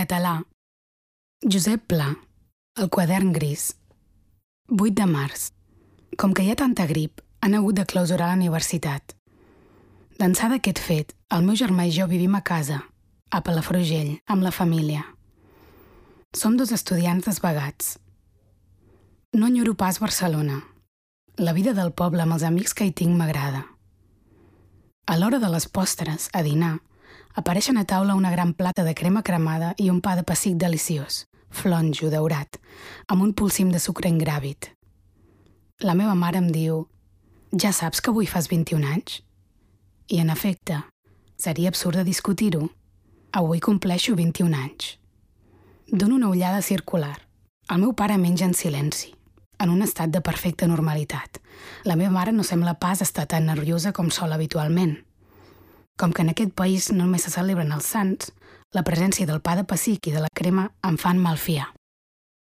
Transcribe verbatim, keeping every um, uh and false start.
català. Josep Pla, El quadern gris. vuit de març. Com que hi ha tanta grip, han hagut de clausurar la universitat. D'ençà d'aquest fet, el meu germà i jo vivim a casa, a Palafrugell, amb la família. Som dos estudiants desvagats. No enyoro pas Barcelona. La vida del poble amb els amics que hi tinc m'agrada. A l'hora de les postres, a dinar, apareixen a taula una gran plata de crema cremada i un pa de pessic deliciós, flonjo, daurat, amb un polsim de sucre ingràvit. La meva mare em diu: «Ja saps que avui fas vint-i-un anys?» I, en efecte, seria absurd de discutir-ho. Avui compleixo vint-i-un anys. Dono una ullada circular. El meu pare menja en silenci, en un estat de perfecta normalitat. La meva mare no sembla pas estar tan nerviosa com sol habitualment. Com que en aquest país només se celebren els sants, la presència del pa de pessic i de la crema em fan malfiar.